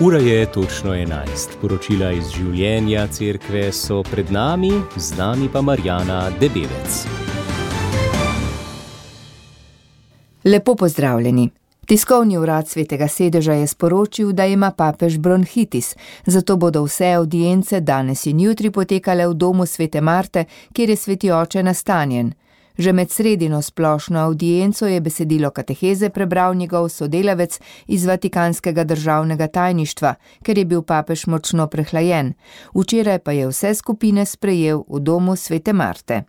Ura je točno 11. Poročila iz življenja cerkve so pred nami, z nami pa Marjana Debevec. Lepo pozdravljeni. Tiskovni urad Svetega sedeža je sporočil, da ima papež bronhitis, zato bodo vse avdience danes in jutri potekale v domu Svete Marte, kjer je sveti oče nastanjen. Že med sredino splošno avdienco je besedilo kateheze prebral njegov sodelavec iz Vatikanskega državnega tajništva, ker je bil papež močno prehlajen. Včeraj pa je vse skupine sprejel v domu Svete Marte.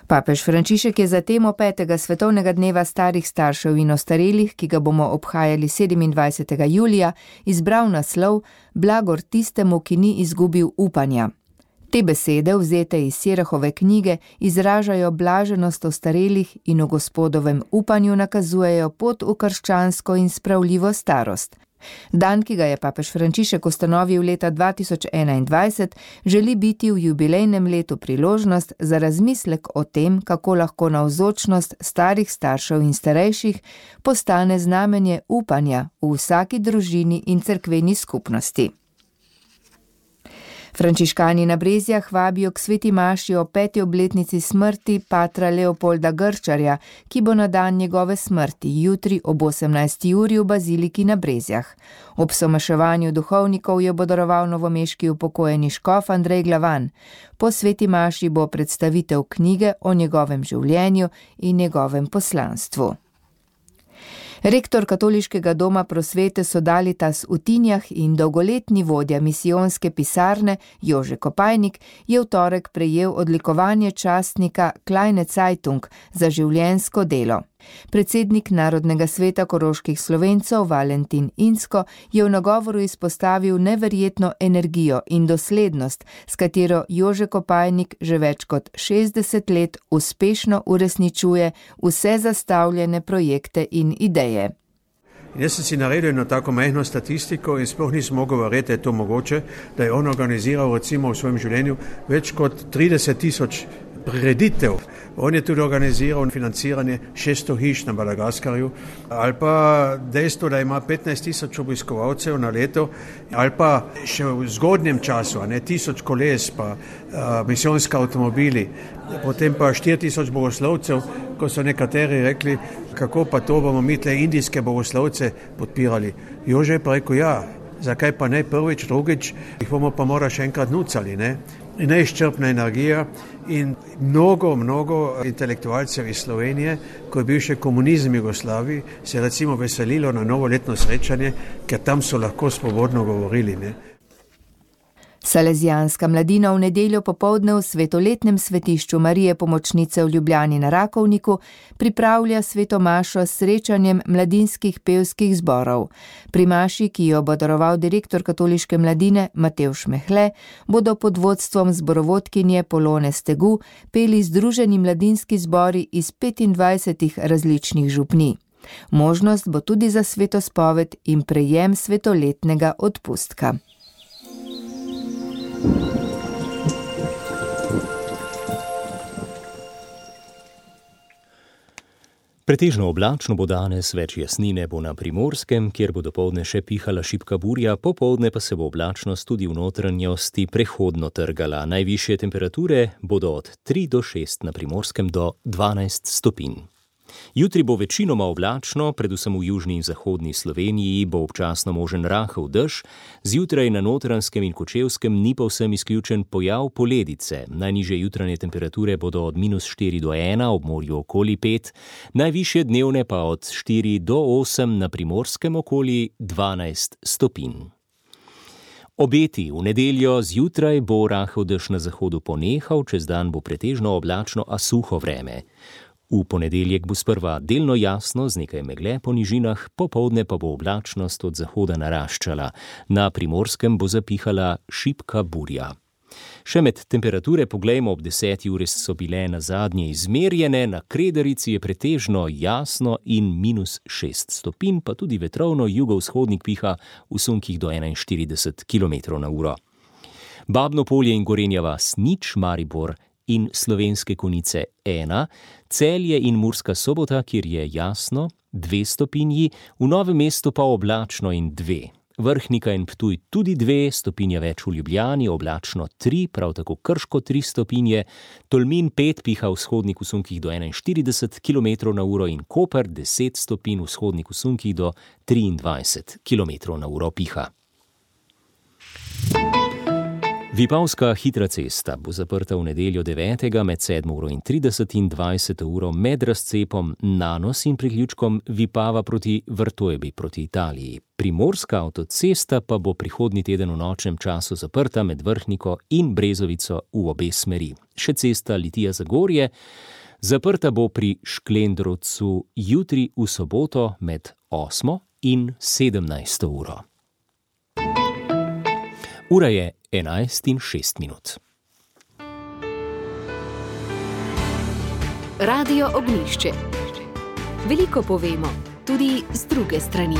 Papež Frančišek je za temo 5. svetovnega dneva starih staršev in ostarelih, ki ga bomo obhajali 27. julija, izbral naslov Blagor tistemu, ki ni izgubil upanja. Te besede, vzete iz Sirahove knjige, izražajo blaženost ostarelih in v Gospodovem upanju nakazujejo pot v krščansko in spravljivo starost. Dan, ki ga je papež Frančišek ustanovil leta 2021, želi biti v jubilejnem letu priložnost za razmislek o tem, kako lahko navzočnost starih staršev in starejših postane znamenje upanja v vsaki družini in cerkveni skupnosti. Frančiškani na Brezjah vabijo k sveti maši o 5. obletnici smrti patra Leopolda Grčarja, ki bo na dan njegove smrti jutri ob 18. uri v baziliki na Brezjah. Ob somaševanju duhovnikov jo bo daroval novomeški upokojeni škof Andrej Glavan. Po sveti maši bo predstavitev knjige o njegovem življenju in njegovem poslanstvu. Rektor Katoliškega doma prosvete Sodalitas v Tinjah in dolgoletni vodja misijonske pisarne Jože Kopajnik je v torek prejel odlikovanje častnika Kleine Zeitung za življenjsko delo. Predsednik Narodnega sveta koroških Slovencov Valentin Insko je v nagovoru izpostavil neverjetno energijo in doslednost, s katero Jože Kopajnik že več kot 60 let uspešno uresničuje vse zastavljene projekte in ideje. Jaz sem si naredil eno tako majhno statistiko in sploh nisem mogel verjeti, da je to mogoče, da je on organiziral recimo v svojem življenju več kot 30,000 prireditev. On je tudi organiziral financiranje 600 hiš na Madagaskarju, ali pa dejstvo, da ima 15,000 obiskovalcev na leto, ali pa še v zgodnjem času, 1000 koles, pa misijonski avtomobili, potem pa 4,000 bogoslovcev, ko so nekateri rekli, kako pa to bomo mi tle indijske bogoslovce podpirali. Jože je pa rekel, ja, zakaj pa ne prvič, drugič, jih bomo pa mora še enkrat nucali, ne? In neizčrpna energija in mnogo intelektualcev iz Slovenije, ko je bil še komunizem v Jugoslaviji, se recimo veselilo na novoletno srečanje, ker tam so lahko svobodno govorili, ne. Salezijanska mladina v nedeljo popoldne v svetoletnem svetišču Marije Pomočnice v Ljubljani na Rakovniku pripravlja sveto mašo s srečanjem mladinskih pevskih zborov. Pri maši, ki jo bo daroval direktor katoliške mladine Matevž Mehle, bodo pod vodstvom zborovodkinje Polone Stegu peli združeni mladinski zbori iz 25 različnih župnij. Možnost bo tudi za svetospoved in prejem svetoletnega odpustka. Pretežno oblačno bo danes, več jasnine bo na Primorskem, kjer bo dopoldne še pihala šibka burja, popoldne pa se bo oblačnost tudi v notranjosti prehodno trgala. Najvišje temperature bodo od 3 do 6 na Primorskem do 12 stopinj. Jutri bo večinoma oblačno, predvsem v južni in zahodni Sloveniji bo občasno možen rahel dež, zjutraj na Notranjskem in Kočevskem ni povsem izključen pojav poledice. Najnižje jutranje temperature bodo od -4 do 1, ob morju okoli 5, najvišje dnevne pa od 4 do 8, na Primorskem okoli 12 stopinj. Obeti: v nedeljo zjutraj bo rahel dež na zahodu ponehal, čez dan bo pretežno oblačno, a suho vreme. V ponedeljek bo sprva delno jasno z nekaj megle po nižinah, popoldne pa bo oblačnost od zahoda naraščala. Na Primorskem bo zapihala šibka burja. Še med temperature poglejmo, ob 10. uri so bile na zadnje izmerjene, na Kredarici je pretežno jasno in -6 stopinj, pa tudi vetrovno jugovzhodnik piha v sunkih do 41 km/h. Babno Polje in Gorenja vas 0, Maribor in Slovenske Konjice 1, Celje in Murska Sobota, kjer je jasno 2 stopinji, v Novem mestu pa oblačno in 2. Vrhnika in Ptuj tudi 2 stopinje več v Ljubljani, oblačno 3, prav tako Krško 3 stopinje, Tolmin 5 piha v vzhodnih usunkih do 41 km/h in Koper 10 stopinj v vzhodnih usunkih do 23 km/h piha. Vipavska hitra cesta bo zaprta v nedeljo 9. med 7:30 in 20. med razcepom Nanos in priključkom Vipava proti Vrtojbi proti Italiji. Primorska avtocesta pa bo prihodnji teden v nočnem času zaprta med Vrhniko in Brezovico v obe smeri. Še cesta Litija-Zagorje zaprta bo pri Šklendrovcu jutri v soboto med 8. in 17. uro. Ura je 11:06. Radio Ognjišče. Veliko povemo, tudi z druge strani.